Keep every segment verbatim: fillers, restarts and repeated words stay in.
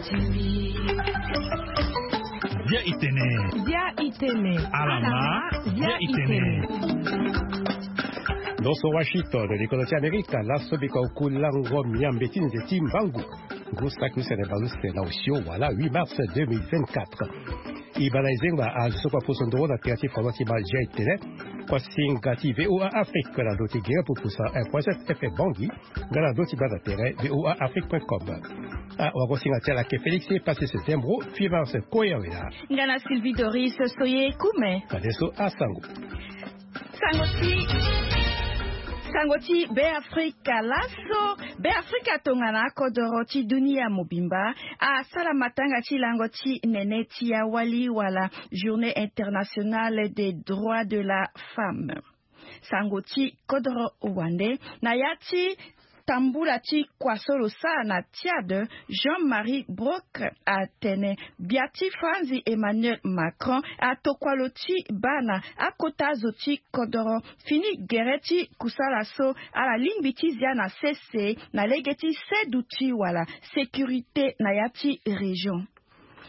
Bia itene. Bia itene. Alama. Bia itene. Dans son Washington, likolo ti Amerika, laso biko kulango miambe ti nze ti mbangu. Ngu saki use na baleuse na osio wala huit mars deux mille vingt-quatre. E baa na e zengba azo so kue aposo ndoro na tere ti folon ti baa Bia itene. Kua singa ti VOA Afrique na ndo ti gere pupusa un point sept F M Bangui. Nga na ndo ti baa na tere VOA Afrique point com. Ah, wagosinga ti ala ke Félix e pasi se tembro, huit mars koya wela. Nga na Sylvie Doris Soye Kume. Fadeso asango. Sango ti, sango ti Beafrika. Laso Beafrika tongana akodoro ti dunia mobimba asara matanga ti lango ti nene ti awali wala Journée internationale des droits de la femme. Sango ti kodoro wande na ya ti tambula ti kua so lo sara na Tchad, Jean-Marie Brock atene gbia ti Franzi Emmanuel Macron atokua lo ti baa na akota zo ti kodoro fini gere ti kusala so ala lingbi ti zia na sese na lege ti seduti wala sécurité na ya ti région.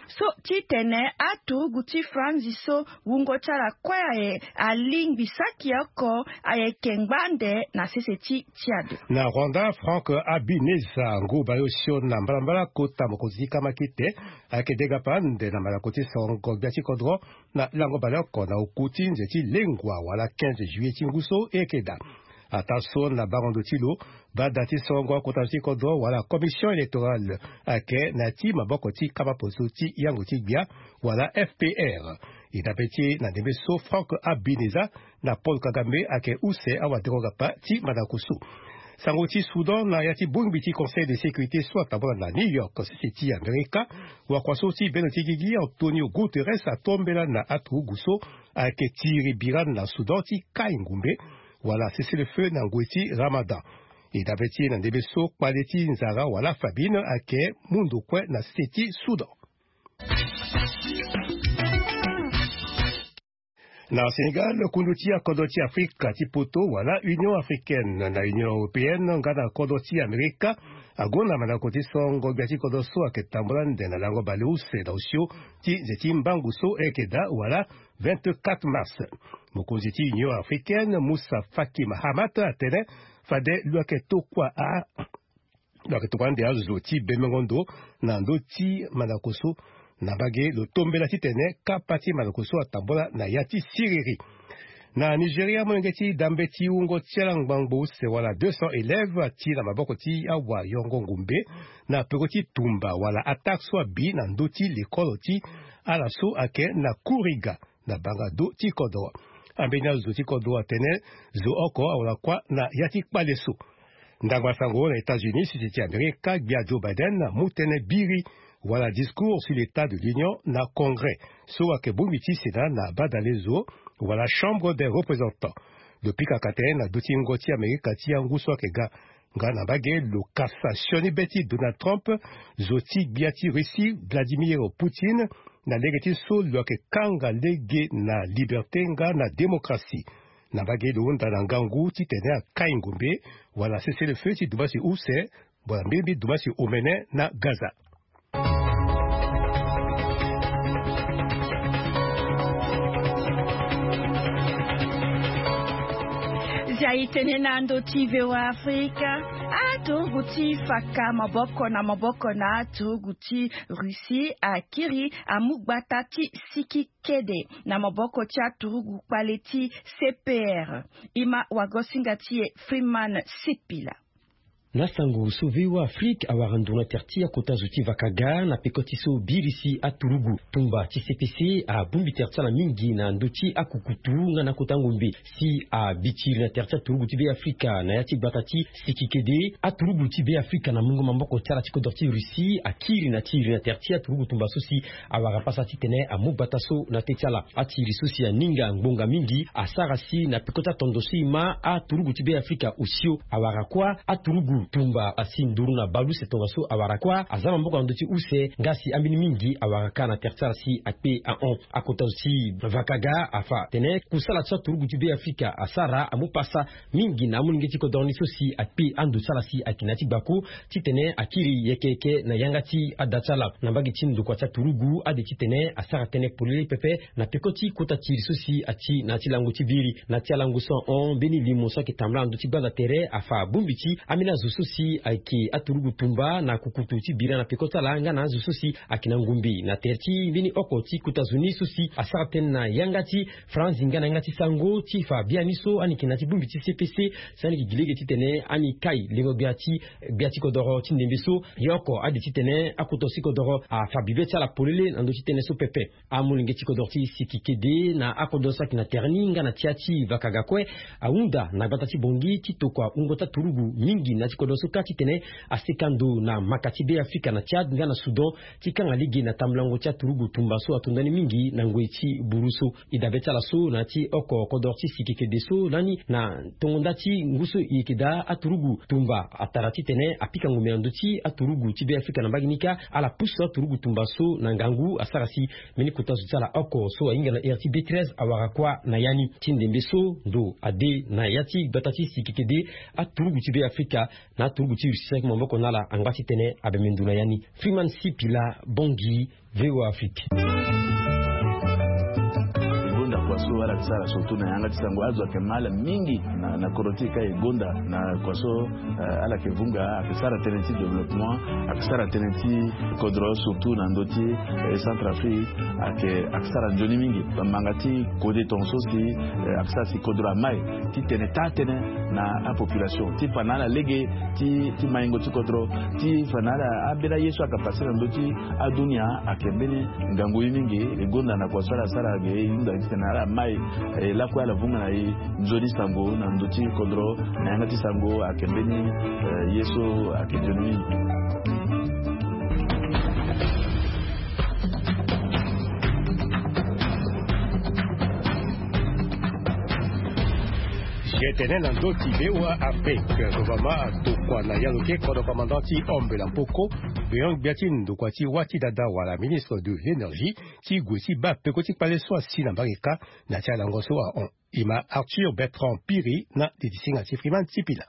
So titene aturugu ti Franzi so wungo ti ala kue aye alingbi saki oko ayeke ngbande na sese ti Tchad. Na Rwanda, Franck Habineza ngu baleosio na mbalambala kota mokonzi ti kamakite ayeke degapa ande na malako ti songo gbia ti kodro na lango baleoko na oku ti nze ti lengua wala quinze juillet ti ngu so e yeke daa. Ataa so na bango ndo ti lo, bada ti songo akota zo ti kodro wala commission électorale ayeke na ya ti maboko ti kama poso ti yango ti gbia wala F P R. E dape ti na ndembe so Franck Habineza na Paul Kagame ayeke use awa deko gapa ti mandako so. Sango ti Soudan na ya ti bongbi ti Conseil de sécurité so atambula na New York sese ti Amerika. Wakua so ti bendo ti gigi Antonio Guterres atombela na aturugu so ayeke tiri bira na Soudan ti kai ngumbe wala cessez-le-feu na ngoi ti Ramadan. E dape ti na ndembe so kpale ti nzara wala famine ayeke mu ndo kue na sese ti Soudan. Na Sénégal, kundu ti akodro ti Afrika ti poto wala Union africaine na Union européenne nga na kodro ti Amerika agonda mandako ti songo gbia ti kodro so ayeke tambula ande na lango baleuse na osio ti nze ti mbangu so e yeke daa wala vingt-quatre mars. Mokonzi ti Union africaine Moussa Faki Mahamat atene fade lo yeke tokua a lo yeke tokua ande azo ti bemengo ndo na ndö ti mandako so na mbage lo tombela titene kapa ti mandako so atambula na ya ti siriri. Na Nigeria, molenge ti dambe ti wungo ti ala ngbangbo use wala deux cents élèves ati na maboko ti awayongo ngumbe na peko ti tumba wala attaque so abi na ndö ti lekolo ti ala so ayeke na Kuriga na banga do ti kodro. Ambeni azo ti kodro atene zo oko awara kuâ na ya ti kpale so. Ndangba sango na États-Unis, sese ti Amerika, gbia Joe Biden amu tënë biri wala discours sur l'état de l'Union na Congrès so ayeke bongbi ti Sénat na badale zo wala Chambre des représentants. Lo pikaka tënë na dö ti ngo ti Amerika ti angu so ayeke ga. Nga na mbage lo kasa sioni be ti Donald Trump, zo ti gbia ti Russie Vladimir Poutine, na lege ti so lo yeke kanga lege na liberté nga na démocratie. Na mbage lo hunda na ngangu titene akai ngombe wala cessez-le-feu ti dumbasi use wala mbirimbiri dumbasi omene na Gaza. Zia e tene na ndo ti V O A Afrika. Aturugu ti faka maboko na maboko na aturugu ti Russie akiri amu gbata ti siki kede na maboko ti aturugu kpale ti C P R. E ma wagosinga ti e Freeman Sipila. Na sango so V O A Afrique awara ndo na tere ti akota zo ti vakaga na peko ti so birisi aturugu tumba ti C P C abongbi tere ti ala mingi na ndö ti akukutu nga na kota ngombe. Si abitiri na tere ti aturugu ti Be Afrika na ya ti gbata ti siki kede, aturugu ti Be Afrika na mungo maboko ti ala ti kodro ti Russie akiri na ti iri na tere ti aturugu tumba so si awara pasa titene amu gbata so na teti ala. Ati iri so si aninga ngbonga mingi asara si na peko ti atondo so e ma aturugu ti Be Afrika osio awara kuâ aturugu Tumba asi nduru na baleuse tongaso awara kuâ aza maboko na ndö ti use nga si ambeni mingi awara kâ na tere ti ala si akpe ahon. Akota zo ti vakaga afa tene kusala ti aturugu ti be afrika asara amu pasa mingi na amolenge ti kodro ni so si akpe ando ti ala si ayeke na ya ti gbako titene akiri yeke yeke na yanga ti ada ti ala. Na mbage ti ndokua ti aturugu ade titene asara tënë polele pepe na peko ti kota ti iri so si ati na ya ti lango ti biri. Na ya ti alango so ahon mbeni limo so ayeke tambula na ndö ti gbanda tere afa bongbi ti ambeni azo so si ayeke aturugu tumba na kukutu ti bira na peko ti ala nga na azo so si ayeke na ngombe na tere ti mbeni oko ti kota zo ni so si asara tënë na yanga ti franzi nga na yanga ti sango ti fa biani so ani yeke na ya ti bongbi ti cpc. Si ani yeke gi lege titene ani kai lengo gbia ti gbia ti kodoro ti ndembe so. Ye oko ade titene akota zo ti kodoro afa bibe ti ala polele na ndö ti tënë so pepe. Amolenge ti kodro ti sikikede na akodro so ayeke na tere ni nga na ti ya ti vakaga kue ahunda na gbata ti bongi ti tokua wungo ti aturugu mingi na ya ti kodro so kâ titene aseka ndo na maka ti be afrika na tchad nga na soudan ti kanga lege na tambulango ti aturugu tumba so ato ndani mingi na ngoi ti buru so. E dabe ti ala so na ya ti oko kodro ti sikikede so lani na tongo nda ti ngu so e yeke daa aturugu tumba atara titene apika ngombe na ndö ti aturugu ti be afrika na mbage ni kâ ala pusu aturugu tumba so na ngangu asara si mbeni kota zo ti ala oko so ahinga na ere ti b treize awara kuâ na ya ni. Ti ndembe so ndo ade na ya ti gbata ti sikikede aturugu ti be afrika na aturugu ti russie so ayeke maboko na ala angba titene abembe ndo na ya ni. Freeman sipila bongi. Voa afrique. Gonda kua so ala yeke sara surtout na yanga ti sango azo ayeke ma ala mingi na kodro ti e ka e gonda na kua so ala yeke vunga ayeke sara tënë ti développement ayeke sara tënë ti kodro surtout na ndö ti centre afrique ayeke sara nzoni mingi. Bamanga ti kode tonga so si ayeke sara si kodro amai titene taa tënë na apopulation ti fa na ala lege ti maingo ti kodro ti fa na ala ambeni aye so ayeke pase na ndö ti adunia ayeke mbeni ngangu ye mingi. E gonda na kua so ala sara ge e hunda titene ala mai lakue ala vunga na e nzoni sango na ndö ti kodro na yanga ti sango ayeke mbeni ye so ayeke nzoni mingi. Gtene na ndö ti voa afrique. Gouvernement atokua na yalo ke kodro commandant ti ombe la poko beyon gbia ti ndokua ti wâ ti dada wala ministre de l'énergie ti gue ti baa peko ti kpale so asi na mbage kâ. Na ti alango so ahon e ma arthur bertrand piri na ditisinga ti friman ti pila.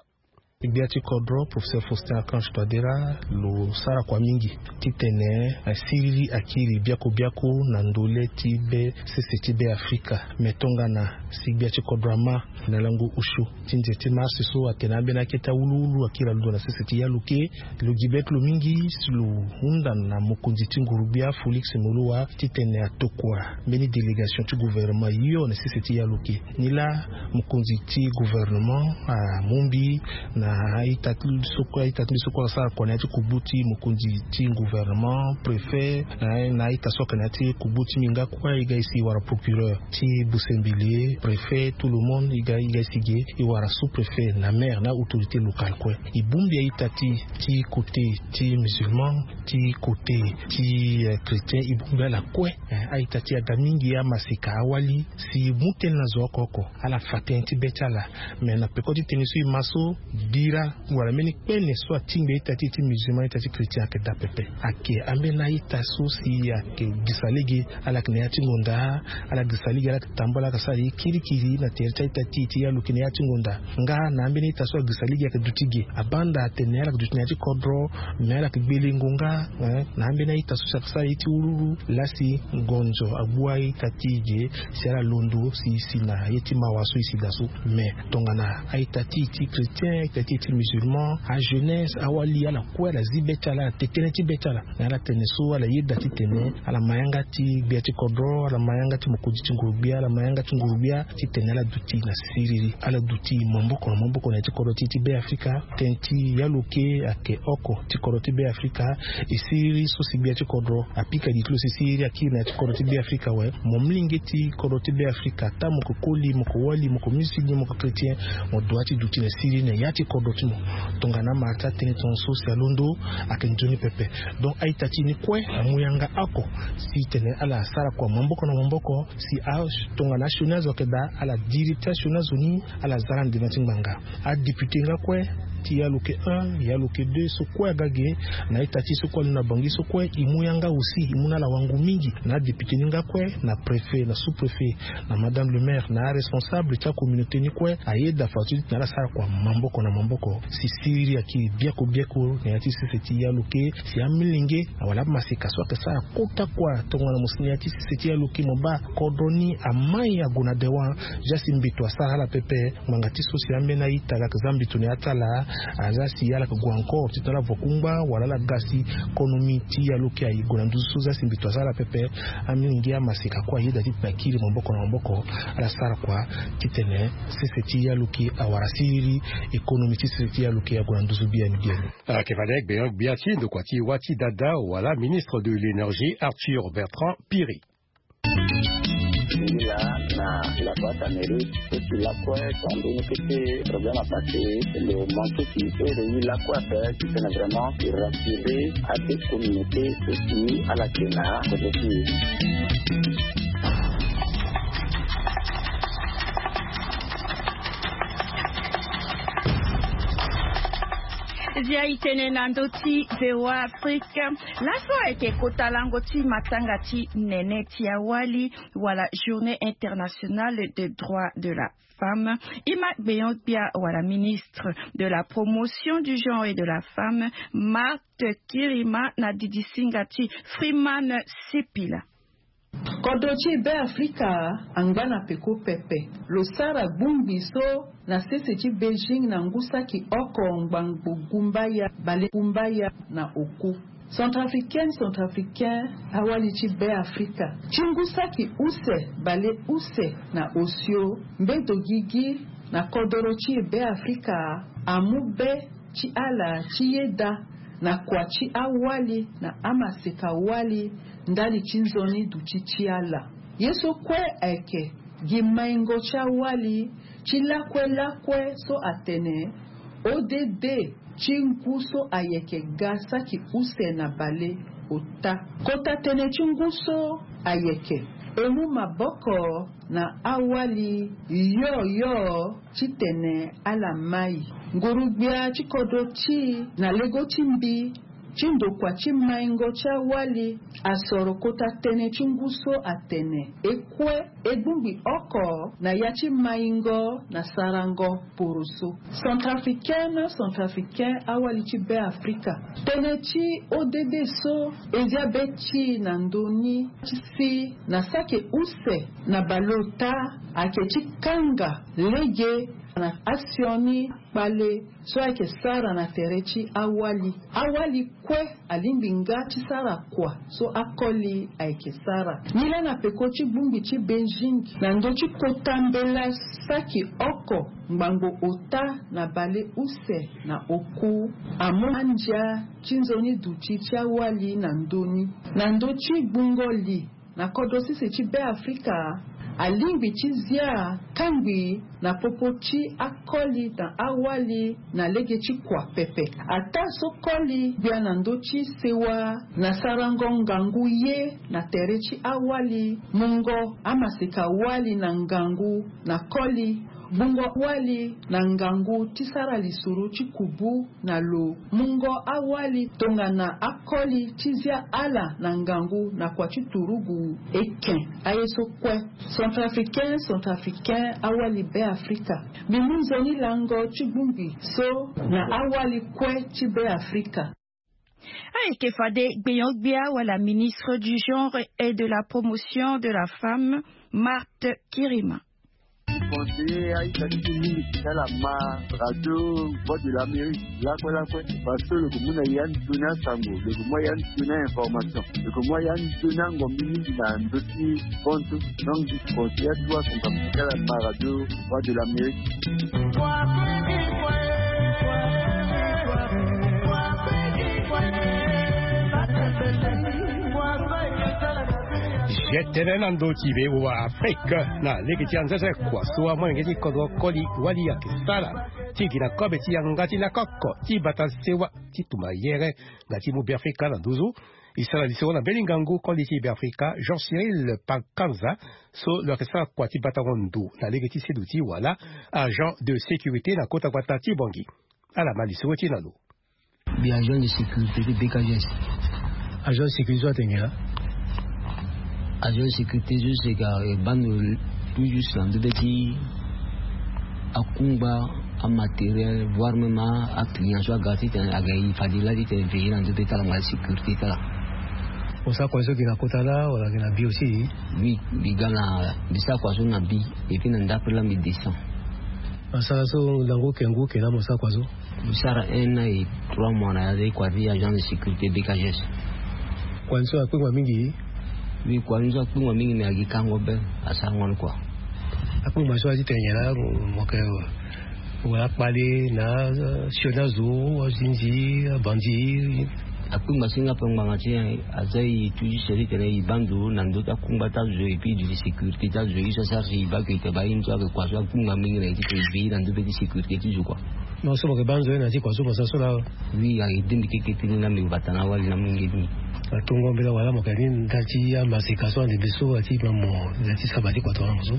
Gbia ti kodro professeur faustin archange toadera lo sara kua mingi titene asiriri akiri biaku biaku na ndole ti be sese ti be afrika. Me tongana si gbia ti kodro ama na lango osio ti nze ti marsi so atene ambeni akete awuluwulu akiri alondo na sese ti yaluke. Lo gi beti lo mingi si lo hunda na mokonzi ti nguru-gbia félix molowa titene atokua mbeni délégation ti gouvernement hio na sese ti yaluke. Nilaa mokonzi ti gouvernement amombi na a-ita ti mbi so kue asara kua na ya ti kogbu ti mokonzi ti gouvernement préfet na a-ita so ayeke na ya ti kogbu ti mbi nga kue e ga e si e wara procureur ti busembele préfet tout le monde e ga e si ge e wara sous-préfet na maire na autorité locale kue. E bongbi a-ita ti ti côté ti musulman ti côté ti chrétien e bongbi ala kue. A-ita ti aga mingi amaseka awali si e mu tënë na zo oko oko ala fa tënë ti be ti ala. Me na peko ti tënë so e ma so bira wala mbeni kpene so atingbi a-ita ti e ti musulman a-ita ti chrétien ayeke daa pepe. Ayeke ambeni a-ita so si ayeke gisa lege ala yeke na ya ti ngonda ala gisa lege ala yeke tambula ala yeke sara ye kirikiri na tere ti a-ita ti e ti yaluke na ya ti ngonda. Nga na ambeni a-ita so agisa lege ayeke duti ge abanda atene ala yeke duti na ya ti kodro. Me ala yeke gbelengo nga na ambeni a-ita so si ayeke sara ye ti wululu lasi ngonzo agbu a-ita ti e ge si ala londo si e si na ye ti mawa so e si daa so. Me tongana a-ita ti e ti chrétien a-ita ti e ti musulman ajeunesse awali ala kue ala zi be ti ala ala te tënë ti be ti ala. Na ala tene so ala yeda titene ala ma yanga ti gbia ti kodro ala ma yanga ti mokonzi ti nguru-gbia ala ma yanga ti nguru-gbia titene ala duti na siriri ala duti maboko na maboko na ya ti kodro ti e ti be afrika. Tënë ti yaluke ayeke oko ti kodro ti be afrika. E siriri so si gbia ti kodro apika gi ti lo si siriri akiri na ya ti kodro ti be afrika awe. Mo molenge ti kodro ti be afrika ata mo yeke koli mo yeke wali mo yeke musulman mo yeke chrétien mo doit ti duti na siriri na ya ti kodro ti mo. Tongana amara ti atënë tongaso si alondo ayeke nzoni pepe. Donc a-ita ti e ni kue amu yanga oko si tene ala sara kua maboko na maboko si a tongana asioni azo ayeke daa ala diri ti asioni azo ni ala za ala na ndena ti ngbanga. Adéputé nga kue ti yaloke un, yaloke deux so kue aga ge. Na ita ti so kue alondo na bangi so kue e mu yanga aussi, e mu na ala wangu mingi na adéputé ni nga kue, na préfet, na sous-préfet, na madame le maire, na aresponsable ti acommunauté ni kue. Ayeda fadeso ti tena ala sara kua maboko na maboko si siriri ayeke biaku biaku na ya ti sese ti yaloke, si amilenge wala amaseka so ayeke sara kota kua tongana mo si na ya ti sese ti yaloke mo baa kodro ni amai ague na dewan. Zia si mbeto asara ala pepe. Ngbanga ti so si ambeni a-ita aga yeke za mbeto na ya ti ala, aza si ala yeke gue encore titene ala vo kungba wala ala ga si konomi ti yaloke aye gue na nduzu so. Zia si mbeto asara ala pepe. Amilenge amaseka kue ayeda ti tena kiri maboko na maboko, ala sara kua titene sese ti yaloke awara siriri, économie ti sese ti yaloke ague na nduzu biani biani. Ayeke fade gbenyo-gbia ti ndokua ti wâ ti dada wala ministre de l'énergie, Arthur Bertrand Piri. Ngi laa na la boîte à mairie, so si lakue tongana mbeni kete problème apassé, lo manqué ti ere ye lakue ape titene vraiment e rassurer ade communauté so si ala yeke na kodro ti e. Zia e tene na ndö ti V O A Afrique. Laso ayeke kota lango ti matanga ti nene ti awali, wala Journée internationale des droits de la femme. E ma gbenyo-gbia wala ministre de la promotion du genre et de la femme, Marthe Kirima, na didisinga ti Freeman Sipila. Kodro ti e Beafrika angba na peko pepe. Lo sara gbongbi so na sese ti Beijing na ngu saki oko ngbangbo gumbaya bale gumbaya na oku. Centrafricaine, Centrafricain, awali ti Beafrika, ti ngu saki use bale use na osio, mbedo gigi na kodoro ti e Beafrika amu be ti ala ti yeda na kua ti awali na amaseka wali ndali ti nzoni duti ti ala. Ye so kue ayeke gi maingo ti awali ti lakue lakue so atene O D D ti ngu so ayeke ga saki use na bale ota. Kota tënë ti ngu so ayeke e mu maboko na awali yo yo titene ala mai. Nguru-gbia ti kodro ti e na lego ti mbi ti ndokua ti maingo ti awali asoro kota tënë ti ngu so atene e kue e gbongbi oko na ya ti maingo na sarango poroso. Centrafricaine, Centrafricain, awali ti Beafrika, tënë ti O D D so e zia be ti e na ndö ni ti si na saki use na baleota ayeke ti kanga lege na asioni kpale so ayeke sara na tere ti awali. Awali kue alingbi nga ti sara kua so akoli ayeke sara. Nilaa na peko ti gbongbi ti Beijing na ndö ti kota mbela saki oko ngbangbo ota na bale use na oku amu andia ti nzoni duti ti awali na ndö ni. Na ndö ti gbungo li na kodro sese ti Beafrika alingbi ti zia kangbi na popo ti akoli na awali na lege ti kua pepe. Ataa so koli gbia na ndö ti sewa na sarango ngangu ye na tere ti awali, mungo amaseka wali na ngangu na koli, gbungo wali na ngangu ti sara lisoro ti kubu na lo, mungo awali tongana akoli ti zia ala na ngangu na kua ti turugu eke. Aye so kue, Centrafricain, Centrafricain, awali Beafrika, mbi mu nzoni lango ti gbongbi so na awali kue ti Beafrika. Ayeke fade gbenyo-gbia wala ministre du genre et de la promotion de la femme, Marthe Kirima. Conseiller a-ita ti ti mingi ti ala ma radio Voix de l'Amérique lakue lakue, parce que lo yeke mu na ya ndoni asango, lo yeke mu ya ndoni a-information, lo yeke mu ya ndoni angombi mingi na ndö ti kontu. Donc mbi conseiller atuwa son kapa ti ala ma radio Voix de l'Amérique. Zia tënë na ndö ti V O A Afrique na lege ti anzenze kua so amolenge ti kodro koli wali ayeke sara ti gi na kobe ti yanga ti lakoko ti bata sewa ti tumba yere nga ti mu Beafrika na nduzu. E sara lisoro na mbeni ngangu koli ti Beafrika Jean Cyril Pakanza, so lo yeke sara kua ti batango ndo na lege ti seduti wala agent de sécurité na kota gbata ti Bangui. Ala ma lisoro ti na lo. Mbi agent de sécurité ti B K G S. Agent de sécurité so atene nyen laa? Agent de sécurité so si ka e baa ndo tout juste na ndö be ti akungba, amatériel, voire même aclient so aga titene aga e fade laa titene veiller na ndö be ti ala nga sécurité ti ala. Mo sara kua so gi na kota laa wala gi na bi aussi? Oui, mbi ga na, mbi sara kua so na bi. Et puis na ndapre laa mbi descend. Asara so lango ke ngu ke laa mo sara kua so? Mbi sara un an et trois mois na ya ti kua ti agent de sécurité B K G S. Kua ni so akpengba mingi? Oui, kua ni so akpengba mingi, mais agi kango be, asarango ni kua. Akpengba so aye titene nyen laa mo ke wala kpale na sioni azo, azinzi, abandi? Akpengba so nga ape ngbanga ti nyen? Aza e tout juste titene e baa ndo na ndö ti akungba ti azo et puis de sécurité ti azo, ye so asara si e baa ke e te baa ye ni so ayeke kua so akpengba mingi na e titene e veiller na ndö be ti sécurité ti zo kua. Non, so mo yeke baa nzoni na ti kua so mo sara so laa? Oui, a aidé mbi keke ti ni laa mbi bata na awali na amolenge ti mbi. Atongo mbela wala mo yeke ni nda ti amaseka so ande mbi so ati ma mo nda ti saba ti kua tongana mo so?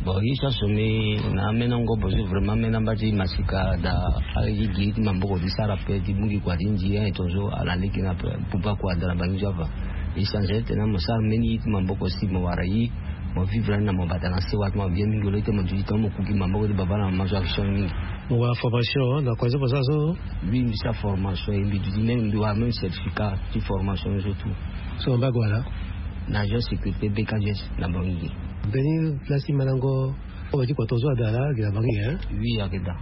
Bon, ye so asombi na ameni angobo so vraiment ameni amba ti maseka daa. Aye ti gi ye ti maboko ti sara ape ti mu gi kua ti nzi aye tongaso ala leke ni ape. Pupa kua daa na bangi so afa. Ye changé titene mo sara mbeni ye ti maboko si mo wara ye. Mo vivre ani na mo bata na sewa ti mo bien mingi lo ti mo duti tongana mo kuki maboko ti baba na mama so action mingi. Mo wara formation na kua so mo sara so? Oui, mbi sara formation e mbi duti même mbi wara même certificat ti formation ni so tout. So mo mba gue wala? Na agent sécurité B K G S na bangi. Mbeni place ti malango. Oyo ti kua tongaso ada laa gi na bangi hein? Oui, ayeke daa.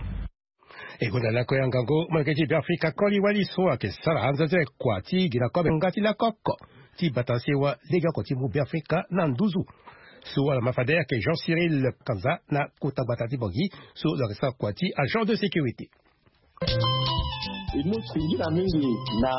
E gonda lakue angango molenge ti Beafrika koli wali so ayeke sara anzenze kua ti gi na kobe nga ti lakoko ti bata sewa legeoko ti mu Beafrika na nduzu. So ala ma fade ayeke Jean Cyril Kanza na kota gbata ti Bangui so lo yeke sara kua ti agent de sécurité. E mu singila mingi na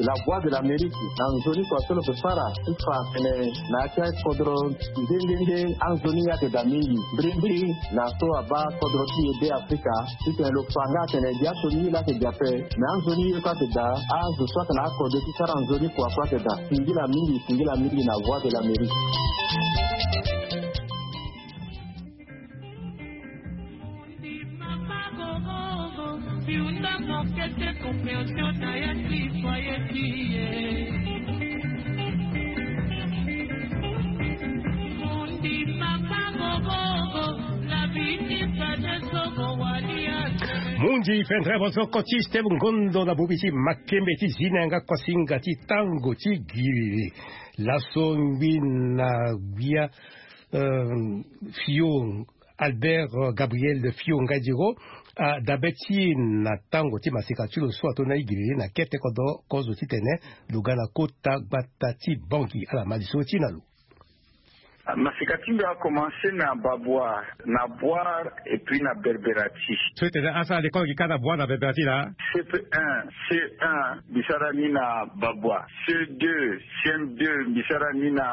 La Voix de l'Amérique na nzoni kua so lo yeke sara ti fa atene na ya ti akodro nde nde nde anzoni ye ayeke daa mingi. Mbirimbiri na so abaa kodro ti e Beafrika titene lo fa nga atene gi aso ni ye laa ayeke daa ape. Me anzoni ye kue ayeke daa, azo so ayeke na akode ti sara nzoni kua kue ayeke daa. Singila mingi, singila mingi na Voix de l'Amérique. Mundi fendre bozoko ti steve ngondo na bobi ti makembe ti zi na yanga kosinga ti tango ti giri. Laso ngbi na gbia, euh, fio Albert, euh, Gabriel Fio Ngadiro, a dabe ti na tango ti masika ti lo so ato na igiriri na kete kodro kozo titene lo ga na kota gbata ti Bangui. Ala ma lisoro ti na lo. Masika ti mbi akomanse na Babwa, na Bwar et puis na Berberati. So titene asara lekole gi kâ na Bwar na Berberati laa? C P un, C un mbi sara ni na Babwa. C deux, C M deux mbi sara ni na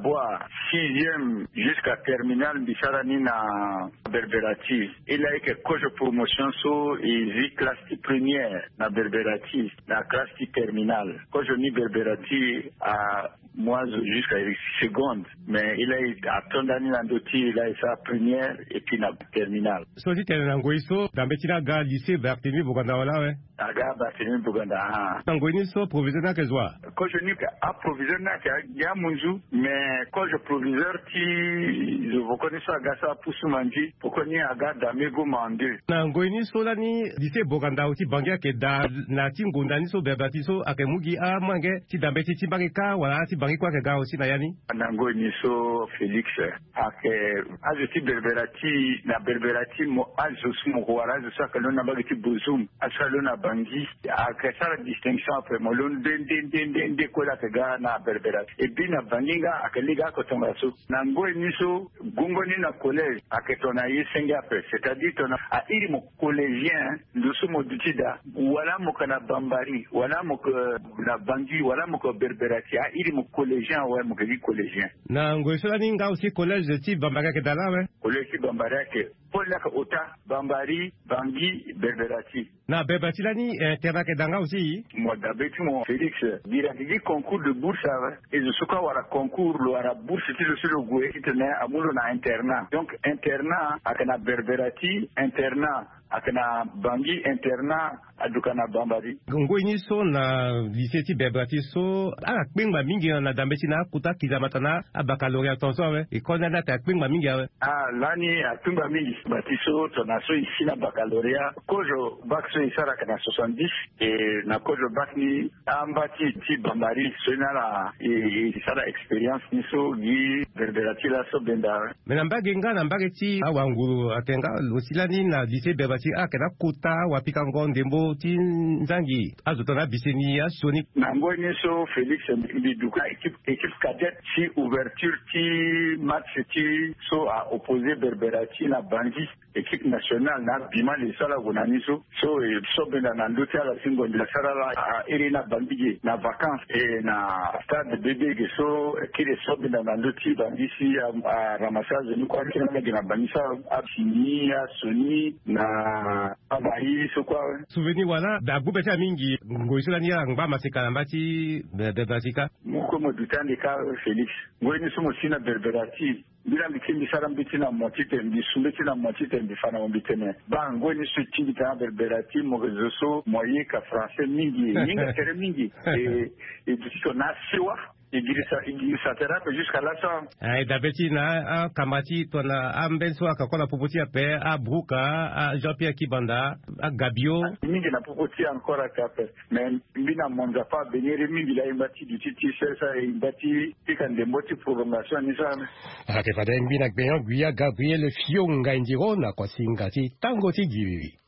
Bwar. Sixième jusqu'à terminale mbi sara ni na Berberati. E laa e yeke kozo promotion so e zi classe ti première na Berberati, na classe ti terminale. Kozo ni Berberati a mu azo jusqu'à seconde, mais e laa e ato ndani na ndö ti e laa e sara première et puis na terminale. So ti tene na ngoi so dambe ti ni aga lycée Barthélemy Boganda wala awe? Aga Barthélemy Boganda, ah. Na ngoi ni so proviseur ni ayeke zo wa? Kozo ni aproviseur ni ayeke gi amunzu, mais kozo proviseur ti zo voko ni so aga sara pusu manzi, voko ni aga damego mande. Na ngoi ni so lani lycée Boganda ti Bangui ayeke daa na ti ngonda ni so Berberati so ayeke mu gi amolenge ti dambe ti ti mbage kâ wala ti Bangui kue ayeke ga aussi na ya ni? Na ngoi ni so Félix, ayeke azo ti Berberati, na Berberati mo azo so mo ko wara azo so ayeke londo na mbage ti Bozoum, azo so alondo na Bangui, ayeke sara distinction ape, mo londo nde nde nde nde nde kue laa ayeke ga na Berberati. Et puis na Bangui nga ayeke lege oko tongaso. Na ngoi ni so gongo ni na collège ayeke tongana ye senge ape, c'est-à-dire tongana a iri mo collégien, ndo so mo duti daa, wala mo yeke na Bambari, wala mo yeke na Bangui, wala mo yeke Berberati, a iri mo collégien awe, mo yeke gi collégien. Na ngoi so lani nga aussi collège ti Bambari ayeke daa laa awe? Collège ti Bambari ayeke, pole ni ayeke ota, Bambari, Bangui, Berberati. Na Berberati lani, eh, internat ayeke daa nga aussi? Mo dabe ti mo Félix, bira ayeke gi concours de bourse awe. E zo so kue awara concours lo wara bourse ti lo so lo gue titene amu lo na internat. Donc internat ayeke na Berberati, internat Ayeke na Bangui internat, aduka na Bambari. Ngoi ni so na lycée ti Berbera ti so ala kpengba mingi na dambe ti na akota kizamata na abaccalauréat tongaso awe. École ni ala ata akpengba mingi awe. Ah, lani akpengba mingi. Bati so tongana so e si na baccalauréat, kozo bac so e sara ayeke na soixante-dix. E na kozo bac ni amba ti ti Bambari so ni ala e e sara expérience ni so gi Berbera ti laso benda. Mais na mbage nga na mbage ti awanguru atene nga lo si lani na lycée Berbera ti ala yeke na akota wapikango ndembo ti nzangi azo tongana abise ni asioni. Na ngoi ni so Félix, mbi duka équipe équipe cadette ti ouverture ti match ti so a opposé Berbera ti na Bangui. Équipe nationale na abima le so ala gue na ni so. So e so benda na ndö ti ala si ngonda asara ala a iri na Bangui ge na vacances e na stade bébé ge so kiri so benda na ndö ti Bangui si a ramassé azo ni kue akiri ala ge na Bangui so abimi asioni na abayi so kue awe. Souvenir wala da agbu be ti ala mingi ngoi so lani ala ngba maseka na mba ti Berbera ti kâ. Mo kue mo duti ande kâ Félix. Ngoi ni so mo si na Berbera ti Mbi la mbi ti mbi sara mbi ti na mo titene mbi su mbi ti na mo titene mbi fa na mo mbi tene baa ngoi ni so e ti mbi tena Berbera ti mo zo so mo yeka français mingi e hinga tere mingi. E e duti tongana asiwa e girisa e girisa tere ape jusqu'à laso. Aye dabe ti na akamba ti tongana ambeni so ayeke kue na popo ti ape abruka a Jean Pierre Kibanda agabio. Mingi na popo ti encore ake ape. Mais mbi na mo nzapa abengere mingi la e ngba ti duti ti sesa e ngba ti pika ndembo ti prolongation ni so ame. Ake fade ngbi na gbenyo guya Gabriel Fionga Indiro na kosinga ti tango ti giri.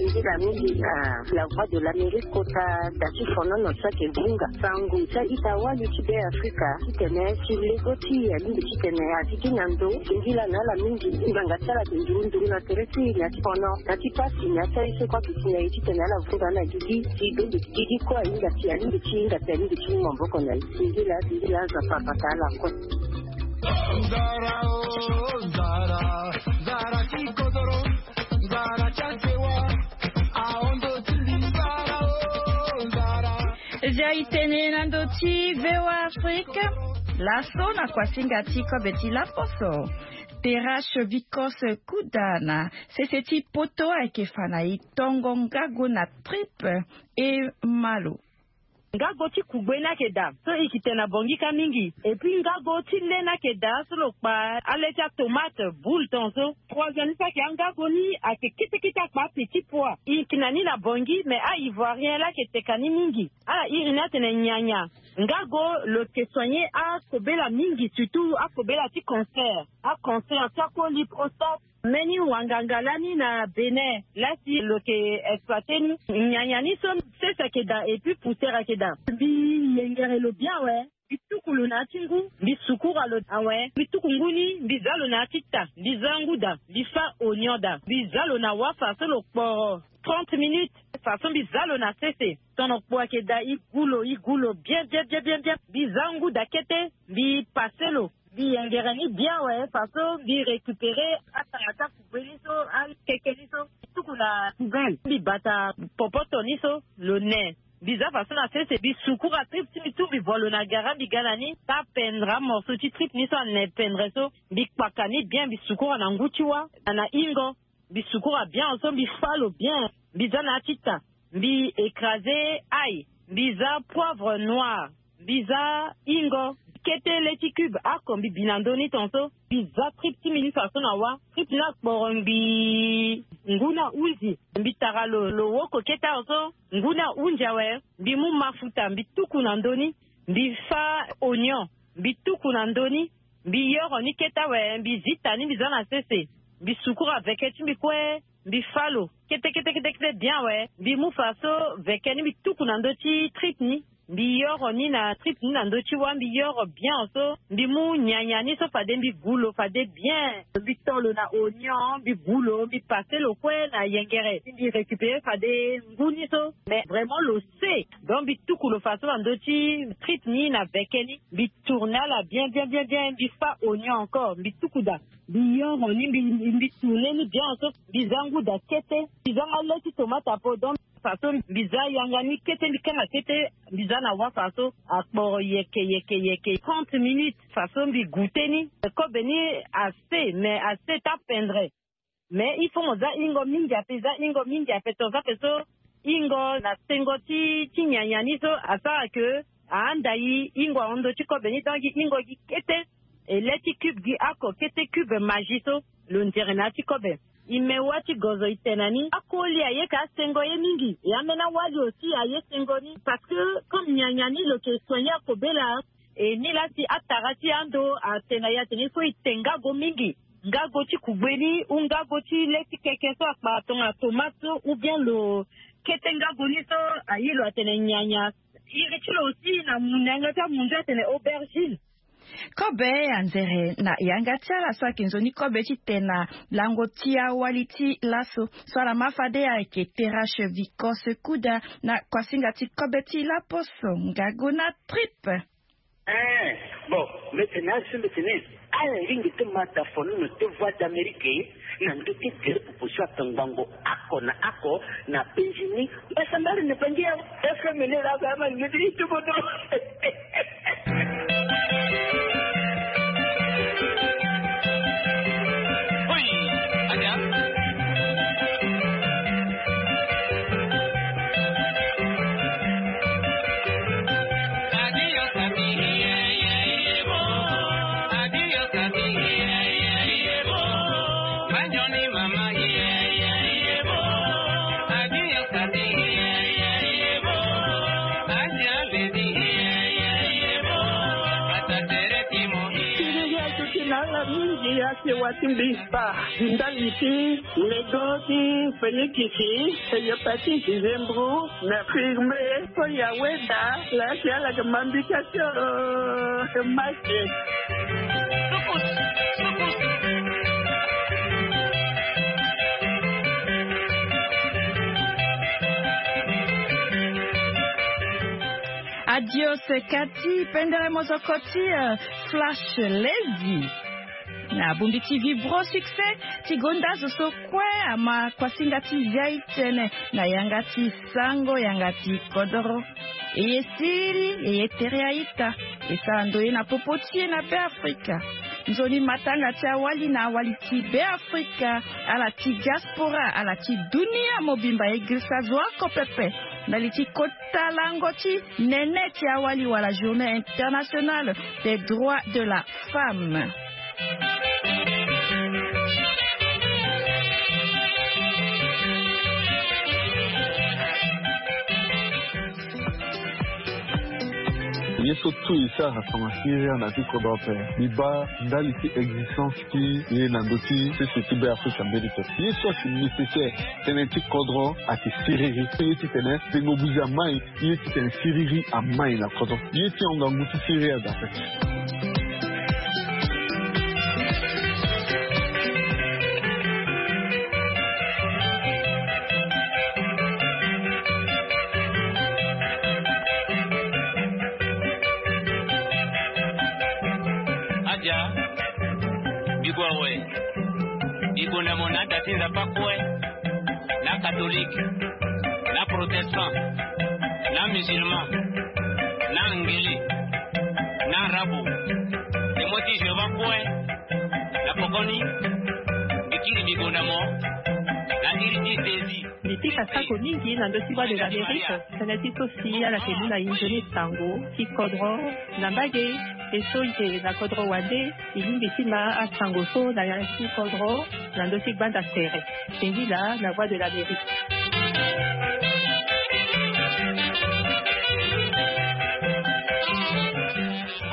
Nzila mingi na la voix de l'Amérique kota da ti fonono ti ake bunga sango ti a-ita wali ti be Afrika titene ti lego ti alingbi titene a ti gi na ndo. Singila na ala mingi ngbanga ti ala ake nduru nduru na tere ti na ti fono na ti pasi na ti aye so kue ake ti na e titene ala vunga ala gigi ti bembe ti gigi kue ahinga ti alingbi ti hinga ti alingbi ti mu maboko na e. Singila singila Nzapa abata ala kue. Nzara o nzara, nzara ti kodoro, nzara ti asewa, ahondo ti mbi nzara o nzara. Zia e tene na ndo ti VOA Afrique. Laso na kuasinga ti kobe ti laposo. Terrache Vicos Kuda na sese ti poto ayeke fa na e tongo ngago na tripe e malo. Ngago ti kugbe ni ayeke daa so e yeke tene na Bangui kâ mingi. Et puis ngago ti le ni ayeke daa so lo kpa ale ti atomate boule tongaso. Troisième ni so ayeke angago ni ayeke kete kete akpa petit pois. E yeke na ni na Bangui mais a-ivoirien laa ayeke teka ni mingi. Ala iri ni atene nyanya. Ngago lo yeke soigner akobela mingi surtout akobela ti cancer. Acancer ti akoli prostate. Mbeni wanganga lani na Bénin laa si lo yeke exploiter ni. Nyanya ni so sese ayeke daa et puis poussière ayeke daa. Mbi yengere lo bien awe. Mbi tuku lo na ya ti ngu. Mbi sukura lo awe. Mbi tuku ngu ni mbi za lo na ya ti ta. Mbi za ngu daa. Mbi fâ oignon daa. Mbi za lo na wafa so lo kporo trente minutes. Faso mbi za lo na sese. Tono kpo ayeke daa e gu lo e gu lo bien bien bien bien bien. Mbi za ngu daa kete. Mbi pase lo. Mbi yengere ni bien awe faso mbi récupérer atanga ti akugbe ni so akeke ni so mbi tuku na poubelle mbi bata popoto ni so lo ne. Mbi za faso na sese mbi sukura tripe ti mbi tout mbi vo lo na gara mbi ga na ni tapendre amorceau ti tripe ni so ane pendre so. Mbi kpaka ni bien mbi sukura na ngu ti wâ na hingo. Mbi sukura bien so mbi fâ lo bien. Mbi za na ya ti ta. Mbi écraser ail. Mbi za poivre noir. Mbi za hingo. Kete le ti cube ako mbi bi na ndö ni tongaso. Mbi za tripe ti mbi ni faso na wâ. Tripe ni akporo ngbii. Ngu ni ahunzi. Mbi tara lo lo woko kete awe so. Ngu ni ahunzi awe. Mbi mu mafuta mbi tuku na ndö ni. Mbi fâ oignon. Mbi tuku na ndö ni. Mbi yoro ni kete awe mbi zita ni mbi za na sese. Mbi sukura veke ti mbi kue. Mbi fâ lo kete kete kete kete bien awe. Mbi mu faso veke ni mbi tuku na ndö ti tripe ni. Mbi yoro ni na tripe ni na ndö ti wâ mbi yoro bien so. Mbi mu nyanya ni so fade mbi gu lo fade bien. Mbi to lo na oignon mbi gu lo mbi pase lo kue na yengere mbi récupérer fade ngu ni so. Mais vraiment lo se. Donc mbi tuku lo faso na ndö ti tripe ni na veke ni. Mbi tourner ala bien bien bien bien mbi fâ oignon encore mbi tuku daa. Mbi yoro ni mbi mbi tourner ni bien so. Mbi za ngu daa kete. Mbi za nga le ti tomate apo donc faso mbi za yanga ni kete mbi kanga kete. Mbi za na wâ faso akporo yeke yeke yeke trente minutes. Faso mbi goûter ni. Kobe ni ase mais ase tapendre. Mais il faut mo za hingo mingi ape, za hingo mingi ape, toza pe so hingo na sengo ti ti nyanya ni so asara ke ahanda i hingo ahon ndo ti kobe ni, donc hingo gi kete. E le ti cube gi ako kete cube magie so lo nzere na ya ti kobe. I me wa ti gozo i tene na ni akoli aye ka asengo ye mingi, e ambeni awali aussi aye sengo ni, parce que comme nyanya ni lo ke soigner akobela. E ni la si atara ti ando atene na ya tene il faut i te ngago mingi, ngago ti kugbe ni ou ngago ti le ti keke so akpara tongana tomate so ou bien lo kete ngago ni so aye lo atene nyanya. Iri ti lo aussi na mu na yanga ti amunzu atene aubergine. Kobe anzere na yanga ti ala so ayeke nzoni kobe ti tene na lango ti awali ti laso so ala ma fade ayeke Terrache Vicos Kuda na kuasinga ti kobe ti laposo ngago na tripe. Eh, bon, mbi tene asi mbi tene ala ringi ti ma dafono na te voix d'Amérique na ndö ti gere popo so atongbango ako na ako na penzi ni. Mbasambari na bangi ya F M L la ba ma ngeti itubodo. Siriri azo ti na ala mingi asewa ti mbi kpa ndali ti lego ti fenikisi, hepatite, zembro, mercure, mbe so ya weda la si ala ke mambi kasi o ke maki. Adios kati pendere mozoko ti eh, Flash Lady. Na bongbi ti Vibro Succès ti gonda zo so kue ama kuasinga ti zia i tene na yanga ti sango yanga ti kodoro. E ye siriri, e ye tere a-ita. E sara ndoye na popo ti e na Beafrika. Nzoni matanga ti awali na awali ti Beafrika, ala ti diaspora, ala ti dunia mobimba e girisa zo oko pepe ndali ti kota lango ti nene ti awali wala Journée internationale des droits de la femme. Ye so tout e sara tongana siriri na ti kodro ape. Mbi baa ndali ti existence ti e na ndö ti sese ti Beafrika mbeni pe. Ye so ayeke nécessaire tënë ti kodro ayeke siriri. Ye titene tengo buzi amai. Ye titene siriri amai na kodro. Ye ti hon ngangu ti siriri aga ape. Adia, bigo awe. Bigonda mo na da ti Nzapa kue, na catholique, na protestant, na musulman, na angele, na arabu. Témoin ti Jéhovah kue, na pokoni, mbi kiri bigonda mo na iri ti Jésus. Mbi pika sako mingi na ndö ti Voix de l'Amérique. Tënë ti so si ala yeke mu na e nzoni sango ti kodro na mbage. E so e yeke na kodro wande, e lingbi ti ma asango so na ya ti kodro na ndö ti gbanda tere. Singila na Voix de l'Amérique.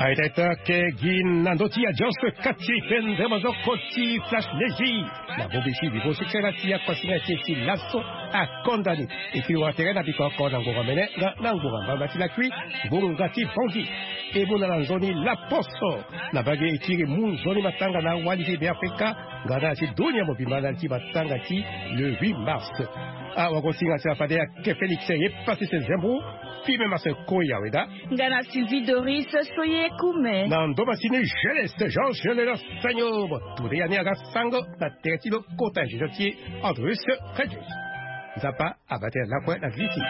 Aita ita ke gi na ndö ti adios kati pendere mozoko ti Flash Lady. Na bongbi ti Vibro Succès na ti akuasinga ti e ti laso akonda ni. E kiri wara tere na biko oko na ngbonga mene nga na ngbonga mbamba ti lakui, ngbonga ti Bongi. E mu na ala nzoni laposo na mbage. E kiri mu nzoni matanga na awali ti Beafrika nga na ala ti dunia mobimba na ala ti matanga ti le huit mars. Awagosinga ti ala fade ayeke Félix Yepasese Zembo, Fime Marcel Koya Weda. Nga na Sylvie Doris Soye Kume. Na ndo masini Jeunesse Jean Jean Lenos Sanyo. Mo ture ya ni aga sango na tere ti lo kota ingénieur ti e Andrus Redius. Nzapa abate na lakue na viti.